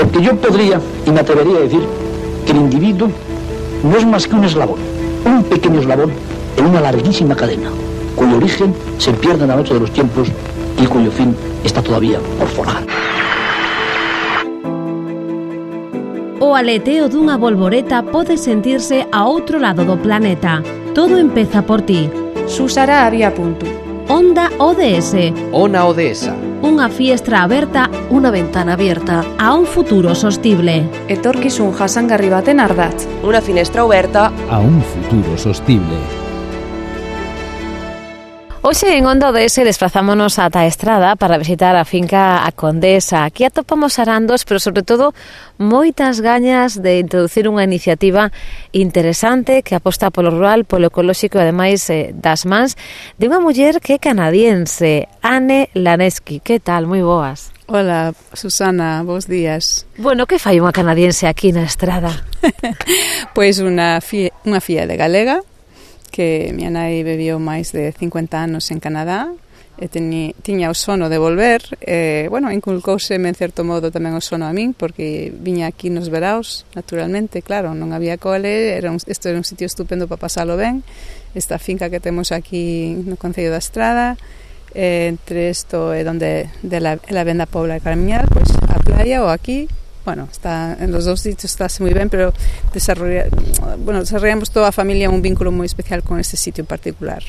Porque yo podría y me atrevería a decir que el individuo no es más que un eslabón, un pequeño eslabón en una larguísima cadena, cuyo origen se pierde en la noche de los tiempos y cuyo fin está todavía por forjar. O aleteo dunha bolboreta pode sentirse a outro lado do planeta. Todo empeza por ti. Susara había punto. Onda ODS. Ona Odesa. Unha fiestra aberta, unha ventana abierta a un futuro sostible. Etorkizun jasangarri baten ardatz. Una finestra oberta a un futuro sostible. Hoxe en Onda ODS desplazámonos ata a Estrada para visitar a finca A Condesa. Aquí atopamos arandos, pero sobre todo moitas gañas de introducir unha iniciativa interesante que aposta polo rural, polo ecolóxico e ademais das mans de unha muller que é canadiense, Anne Lanesky. Que tal? Moi boas. Hola, Susana, bons días. Bueno, que fai unha canadiense aquí na Estrada? Pois unha filla de galega, que miña nai viviu máis de 50 anos en Canadá e tiña o sono de volver, inculcouseme en certo modo tamén o sono a min, porque viña aquí nos veraos, naturalmente, claro, non había cole, isto era un sitio estupendo para pasalo ben, esta finca que temos aquí no Concello da Estrada, entre isto e donde de la Venda Pobla de camiñar, pois a playa ou aquí. Bueno, está en los dos sitios, está moi ben, pero desarrollamos toda a familia un vínculo moi especial con este sitio en particular.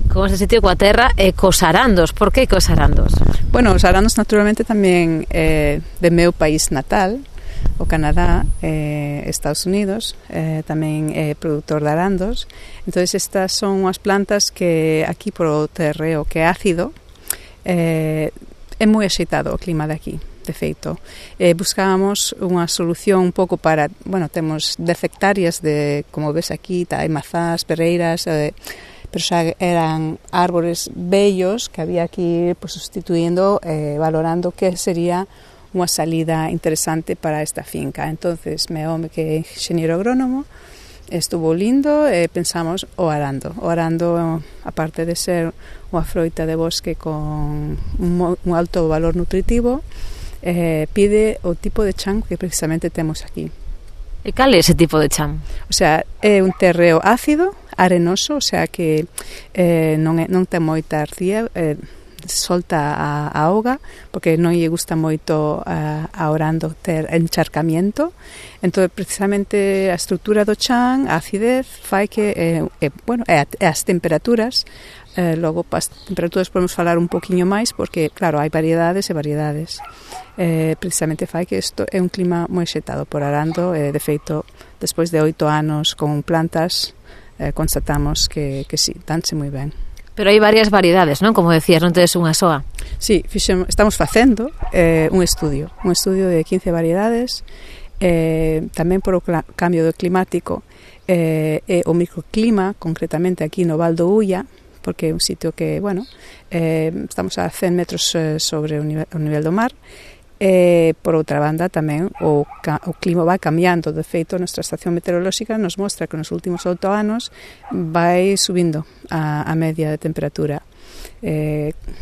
Con este sitio coa terra e cos arandos. Por que cos arandos? Bueno, os arandos naturalmente tamén de meu país natal, o Canadá, Estados Unidos, tamén é produtor de arandos. Entonces estas son unhas plantas que aquí por o terreo que é ácido, é moi axeitado o clima de aquí. De feito, buscábamos unha solución un pouco para, temos 10 hectáreas de, como ves aquí, hai mazás, pereiras, pero xa eran árbores bellos que había que ir sustituindo, valorando que sería unha salida interesante para esta finca. Entonces, meu home que é ingeniero agrónomo, estuvo lindo e pensamos o arando. O arando, aparte de ser unha froita de bosque con un alto valor nutritivo, pide o tipo de chan que precisamente temos aquí. E cal é ese tipo de chan? O sea, é un terreo ácido, arenoso, o sea que non ten moita arcilla, solta a auga, porque non lle gusta moito a orando ter encharcamiento. Entón, precisamente a estrutura do chan, a acidez, fai que as temperaturas. Logo, as temperaturas podemos falar un poquinho máis, porque, claro, hai variedades e variedades. Precisamente fai que isto é un clima moi axeitado por arando. De feito, despois de 8 anos con plantas, constatamos que sí, danse moi ben. Pero hai varias variedades, non? Como decías, non tedes unha soa. Sí, estamos facendo un estudio de 15 variedades, tamén por o cambio climático e o microclima, concretamente aquí no Val do Ulla, porque é un sitio que, estamos a 100 metros sobre o nivel do mar. Por outra banda, tamén o clima vai cambiando. De feito, a nosa estación meteorolóxica nos mostra que nos últimos 8 anos vai subindo a media de temperatura.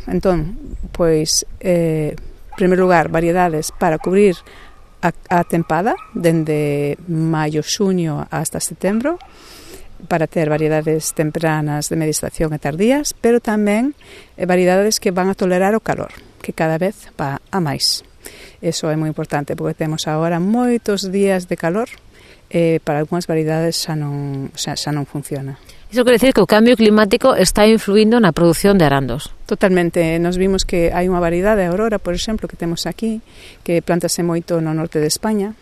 Entón, pois, en primeiro lugar, variedades para cubrir a tempada, dende maio, xuño hasta setembro, para ter variedades tempranas de media estación e tardías, pero tamén variedades que van a tolerar o calor, que cada vez va a máis. Eso é moi importante, porque temos agora moitos días de calor, para algunhas variedades xa non funciona. Iso quere decir que o cambio climático está influindo na produción de arandos. Totalmente. Nos vimos que hai unha variedade, a aurora, por exemplo, que temos aquí, que plantase moito no norte de España,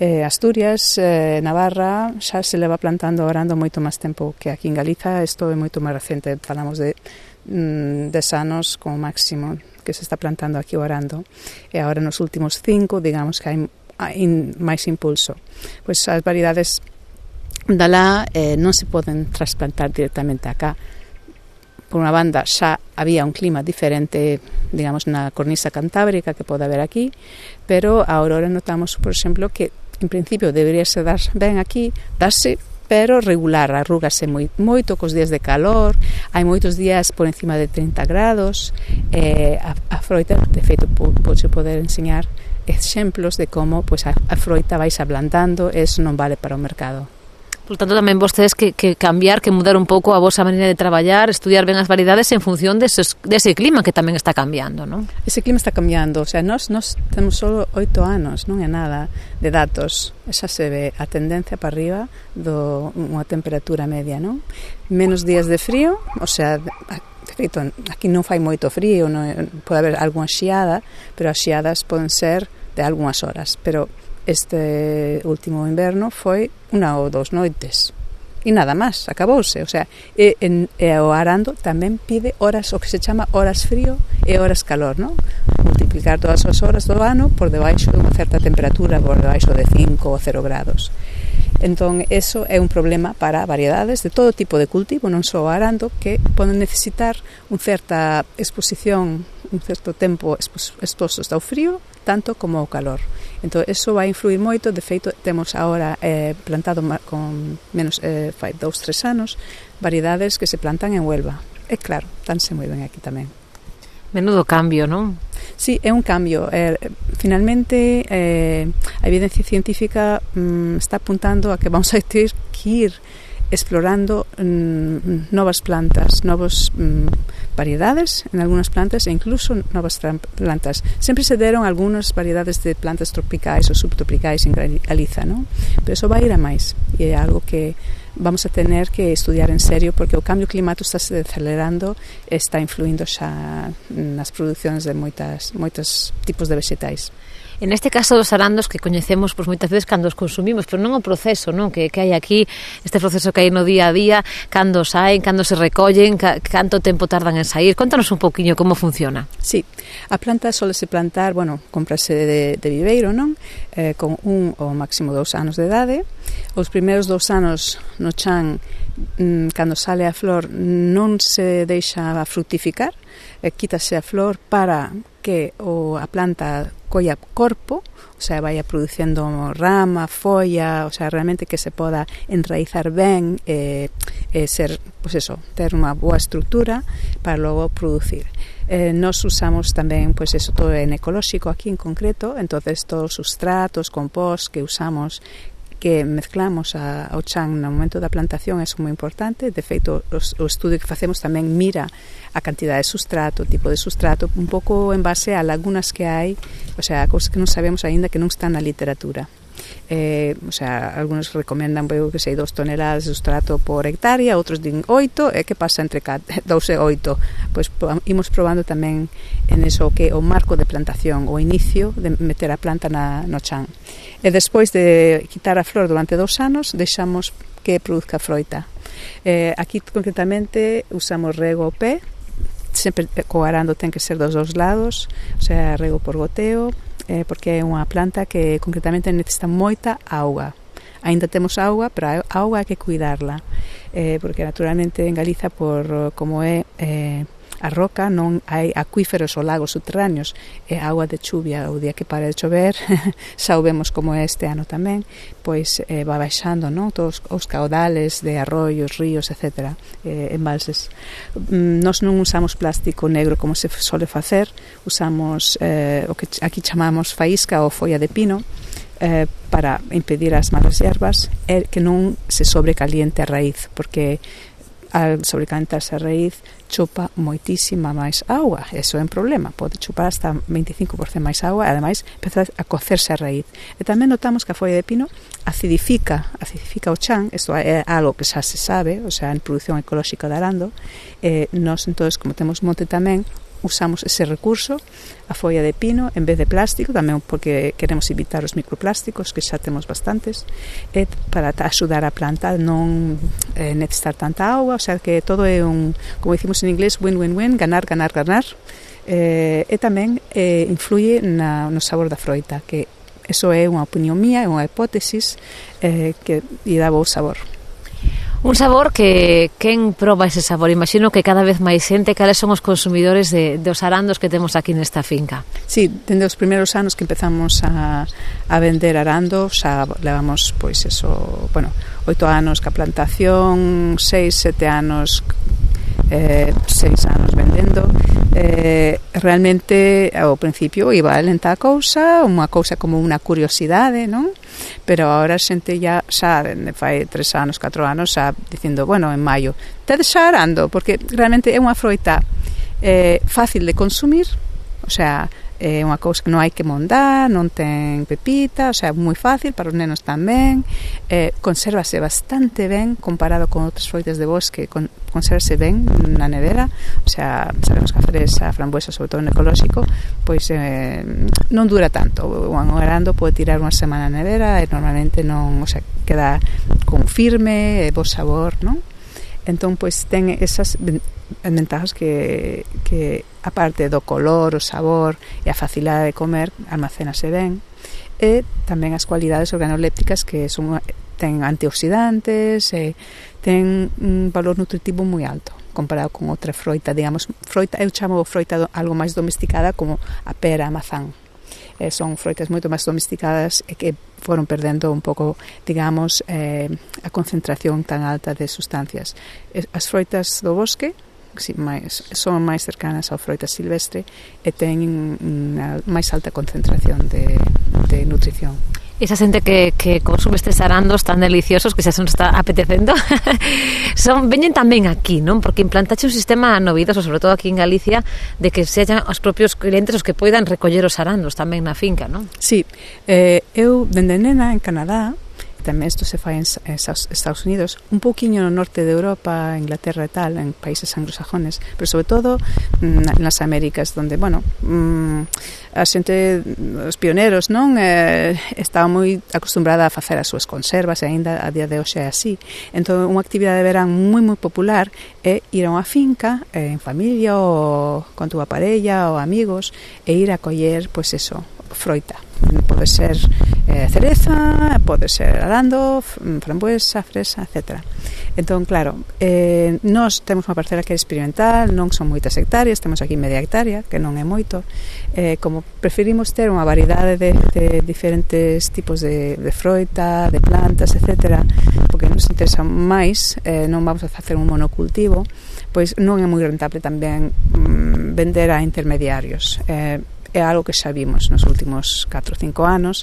Asturias, Navarra, xa se leva plantando arando moito máis tempo que aquí en Galiza. Isto é moito máis recente, falamos de 10 anos como máximo que se está plantando aquí o arando, e agora nos últimos 5, digamos que hai máis impulso. Pois as variedades dalá non se poden trasplantar directamente acá. Por unha banda, xa había un clima diferente, digamos, na cornisa cantábrica que pode haber aquí, pero agora notamos, por exemplo, que en principio deberíase dar ben aquí, darse pero regular, arrúgase moito cos días de calor, hai moitos días por encima de 30 grados, a froita, de feito, pode poder enseñar exemplos de como pois, a froita vais ablandando, eso non vale para o mercado. Por tanto, tamén vostedes que cambiar, que mudar un pouco a vosa maneira de traballar, estudiar ben as variedades en función dese clima que tamén está cambiando, non? Ese clima está cambiando, o sea, nós temos só 8 anos, non é nada de datos, xa se ve a tendencia para arriba unha temperatura media, non? Menos días de frío, o sea, de feito, aquí non fai moito frío, pode haber algunha xiada, pero as xiadas poden ser de algunhas horas, pero este último inverno foi 1 ou 2 noites e nada máis, acabouse, o sea, o arando tamén pide horas, o que se chama horas frío e horas calor, non? Multiplicar todas as horas do ano por debaixo de unha certa temperatura, por debaixo de 5 ou 0 grados. Entón, eso é un problema para variedades de todo tipo de cultivo, non só o arando, que poden necesitar unha certa exposición, un certo tempo expostos ao frío, tanto como ao calor. Entón, eso vai influir moito. De feito, temos agora plantado con menos, fai 2-3 anos, variedades que se plantan en Huelva. E claro, tanse moi ben aquí tamén. Menudo cambio, non? Sí, é un cambio. Finalmente, a evidencia científica está apuntando a que vamos a ter que ir explorando novas plantas, novas variedades en algunas plantas e incluso novas plantas. Sempre se deron algunhas variedades de plantas tropicais ou subtropicais en Galiza, non? Pero eso vai ir a máis e é algo que vamos a tener que estudiar en serio porque o cambio climático está se acelerando e está influindo xa nas producións de moitos tipos de vegetais. En este caso dos arandos que coñecemos pois moitas veces cando os consumimos, pero non o proceso, non, que hai aquí, este proceso que hai no día a día, cando saen, cando se recollen, canto tempo tardan en sair. Contanos un pouquiño como funciona. Sí, a planta solese plantar, cómprase de viveiro, non? Con 1 ou máximo 2 anos de idade. Os primeiros 2 anos no chan, cando sale a flor, non se deixa fructificar, quítase a flor para que a planta colla corpo, o sea, vaya produciendo rama, folla, o sea, realmente que se poda enraizar ben ser, pues eso, ter unha boa estrutura para logo producir. Nos usamos tamén, pues eso, todo en ecolóxico aquí en concreto, entonces todos os sustratos, compost que usamos, que mezclamos ao chan no momento da plantación é moi importante. De feito, o estudio que facemos tamén mira a cantidade de sustrato, o tipo de sustrato, un pouco en base a lagunas que hai, o sea, cousas que non sabemos aínda que non están na literatura. O sea, algunos recomendan, que sei, 2 toneladas de sustrato por hectárea, outros din 8, e que pasa entre 2 e 8? Pois imos probando tamén en eso que o marco de plantación, o inicio de meter a planta no chan. E despois de quitar a flor durante 2 anos, deixamos que produzca froita. Aquí concretamente usamos rego ao pé, sempre co arando ten que ser dos 2 lados, o sea, rego por goteo, porque é unha planta que concretamente necesita moita auga. Ainda temos auga, pero a auga hai que cuidarla, porque naturalmente en Galiza, por como é a roca, non hai acuíferos ou lagos subterráneos, é agua de chuvia. O día que para de chover, xa o vemos como é este ano tamén, pois va baixando, non? Todos os caudales de arroios, ríos, etc., embalses. Nós non usamos plástico negro como se sole facer, usamos o que aquí chamamos faísca ou folla de pino, para impedir as malas hierbas e que non se sobrecaliente a raíz, porque al sobrecalentarse a raíz chupa moitísima máis auga. Eso é un problema, pode chupar hasta 25% máis auga e ademais empeza a cocerse a raíz. E tamén notamos que a folla de pino acidifica o chan. Isto é algo que xa se sabe, o sea, en produción ecolóxica de arando. Nós, entonces, como temos monte tamén, usamos ese recurso, a folla de pino, en vez de plástico, tamén porque queremos evitar os microplásticos, que xa temos bastantes, e para axudar a planta non necesitar tanta auga, o sea que todo é como dicimos en inglés, win-win-win, ganar, ganar, ganar, e tamén influye no sabor da froita, que eso é unha opinión mía, é unha hipótesis que lle dá bo sabor. Un sabor que quen proba ese sabor? Imagino que cada vez máis xente. Cales son os consumidores dos arandos que temos aquí nesta finca? Sí, dende os primeiros anos que empezamos a vender arando, xa levamos, pois eso, 8 anos ca plantación, 6, 7 anos 6 anos vendendo. Realmente ao principio iba lenta a cousa, unha cousa como unha curiosidade, non? Pero agora a xente xa fai 3 anos, 4 anos xa dicindo, en maio tedes xa arando, porque realmente é unha froita fácil de consumir, o sea, é unha cousa que non hai que mondar, non ten pepita, o sea, moi fácil para os nenos tamén, consérvase bastante ben comparado con outras froitas de bosque, consérvase ben na nevera, o sea, sabemos que a fresa, a frambuesa, sobre todo no ecolóxico, pois non dura tanto, o arando pode tirar unha semana na nevera e normalmente non, o sea, queda con firme e bo sabor, non? Entón, pois, ten esas ventajas que aparte do color, o sabor e a facilidade de comer, almacénase ben, e tamén as cualidades organolépticas que ten antioxidantes, ten un valor nutritivo moi alto comparado con outra froita, digamos, eu chamo froita algo máis domesticada como a pera, a mazán. Son froitas moito máis domesticadas e que foron perdendo un pouco, digamos, a concentración tan alta de sustancias. As froitas do bosque son máis cercanas ao froita silvestre e teñen unha máis alta concentración de nutrición. Esa xente que consume estes arandos tan deliciosos que xa se nos está apetecendo veñen tamén aquí, non? Porque implantaxe un sistema novidoso, sobre todo aquí en Galicia, de que sexan os propios clientes os que poidan recoller os arandos tamén na finca, non? Sí, eu dende nena en Canadá, tamén isto se fai en Estados Unidos, un pouquiño no norte de Europa, Inglaterra e tal, en países anglosajones, pero sobre todo nas Américas, donde, a xente, os pioneros, non, estaba moi acostumbrada a facer as súas conservas e aínda a día de hoxe é así. Entón, unha actividade de verán moi popular é ir a unha finca en familia ou con túa parella ou amigos e ir a coller, pois eso, froita. Pode ser cereza, pode ser arando, frambuesa, fresa, etc. Entón, claro, nós temos unha parcela que é experimental, non son moitas hectáreas, temos aquí media hectárea, que non é moito. Como preferimos ter unha variedade de diferentes tipos de froita, de plantas, etc., porque nos interesa máis, non vamos a facer un monocultivo, pois non é moi rentable tamén vender a intermediarios. É algo que xa vimos nos últimos 4 ou 5 anos.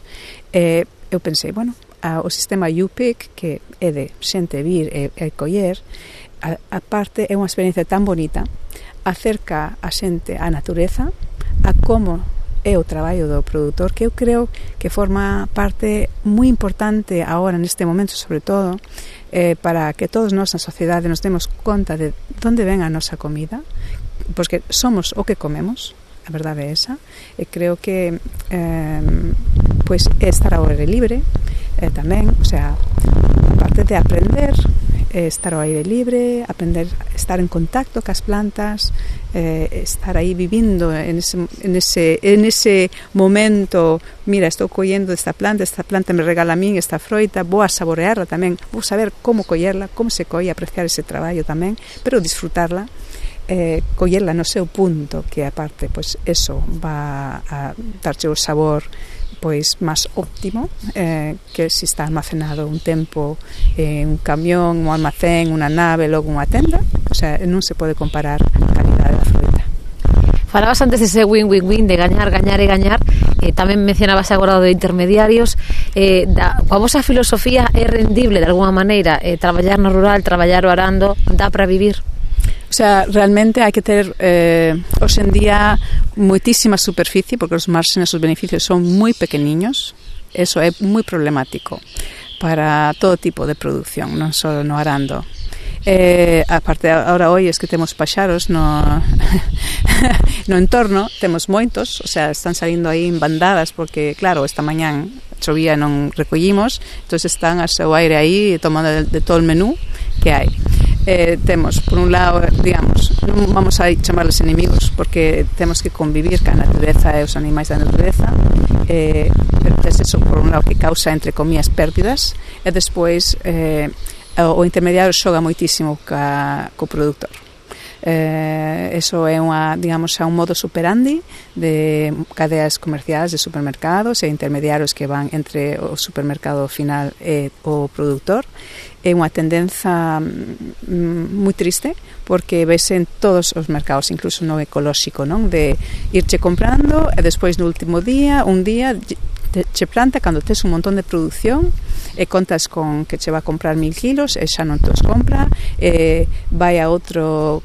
Eu pensei, o sistema UPIC, que é de xente vir e coller, a parte é unha experiencia tan bonita, acerca a xente á natureza, a como é o traballo do produtor, que eu creo que forma parte moi importante agora neste momento, sobre todo, para que todos nós na sociedade nos demos conta de onde ven a nosa comida, porque somos o que comemos. A verdade é esa, e creo que pois estar ao aire libre tamén, o sea, aparte de aprender, estar ao aire libre, aprender, estar en contacto cas plantas, estar aí vivindo en ese momento, mira, estou collendo esta planta me regala a min esta froita, vou a saborearla tamén, vou saber como collerla, como se colle, apreciar ese traballo tamén, pero disfrutarla, collerla no seu punto, que aparte, pois eso va a darche o sabor pois máis óptimo, que se está almacenado un tempo un camión, un almacén, unha nave, logo unha tenda, o sea, non se pode comparar a calidade da fruta. Falabas antes dese win-win-win de gañar e gañar, tamén mencionabas agora de intermediarios, coa vosa filosofía é rendible de alguna maneira traballar no rural, traballar o arando, dá para vivir? O sea, realmente hai que ter hoxe en día moitísima superficie, porque os márgenes, os beneficios son moi pequeniños. Eso é moi problemático para todo tipo de producción, non só no arando. Aparte, ahora hoy es que temos paxaros no entorno, temos moitos, o sea, están salindo aí en bandadas, porque claro, esta mañán chovía e non recollimos, entón están a seu aire aí tomando de todo o menú que hai. Temos, por un lado, digamos, non vamos a chamarles inimigos, porque temos que convivir ca natureza e os animais da natureza, pero tes eso, por un lado, que causa, entre comillas, pérdidas, e despois o intermediario xoga moitísimo co produtor. Eso é un modo superandi de cadeas comerciais de supermercados e intermediarios que van entre o supermercado final e o produtor. É unha tendenza moi triste porque vese en todos os mercados, incluso no ecolóxico, non? De irche comprando e despois no último día, un día che planta cando tes un montón de produción e contas con que che va a comprar 1000 kilos e xa non te os compra, vai a outro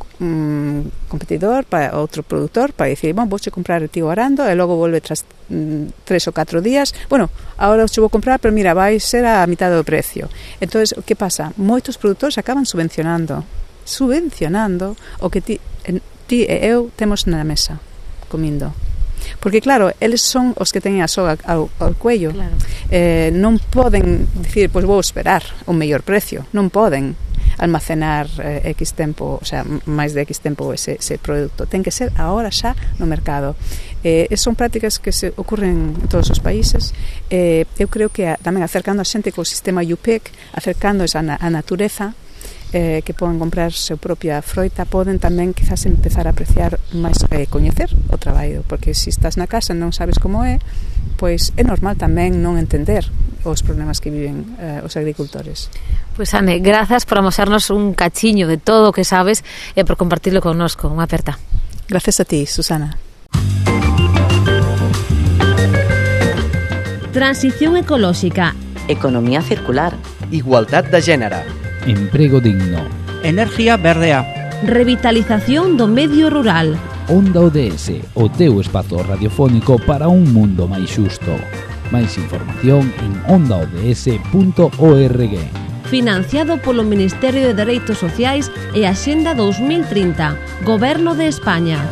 competidor, para outro produtor, para dicir, vouche comprar ti o arando e logo volve tras 3 ou 4 días, agora os vou comprar, pero mira, vai ser a mitad do precio. Entonces, o que pasa? Moitos produtores acaban subvencionando o que ti e eu temos na mesa comindo. Porque claro, eles son os que teñen a soga ao cuello. Claro. Non poden dicir, pois vou esperar un mellor precio. Non poden almacenar X tempo, o sea, máis de X tempo ese produto. Ten que ser agora xa no mercado. Son prácticas que se ocurren en todos os países. Eu creo que tamén acercando a xente co sistema UPEC, acercándoos a natureza, que poden comprar seu propia froita, poden tamén quizás empezar a apreciar máis, coñecer o traballo, porque se estás na casa e non sabes como é, pois é normal tamén non entender os problemas que viven os agricultores. Pois Ane, grazas por amosarnos un cachiño de todo o que sabes e por compartirlo connosco. Unha aperta. Gracias a ti, Susana. Transición ecolóxica, economía circular, igualdad de género, emprego digno, energía verdea, revitalización do medio rural. Onda ODS, o teu espazo radiofónico para un mundo máis xusto. Máis información en ondaods.org. Financiado polo Ministerio de Dereitos Sociais e Axenda 2030, Goberno de España.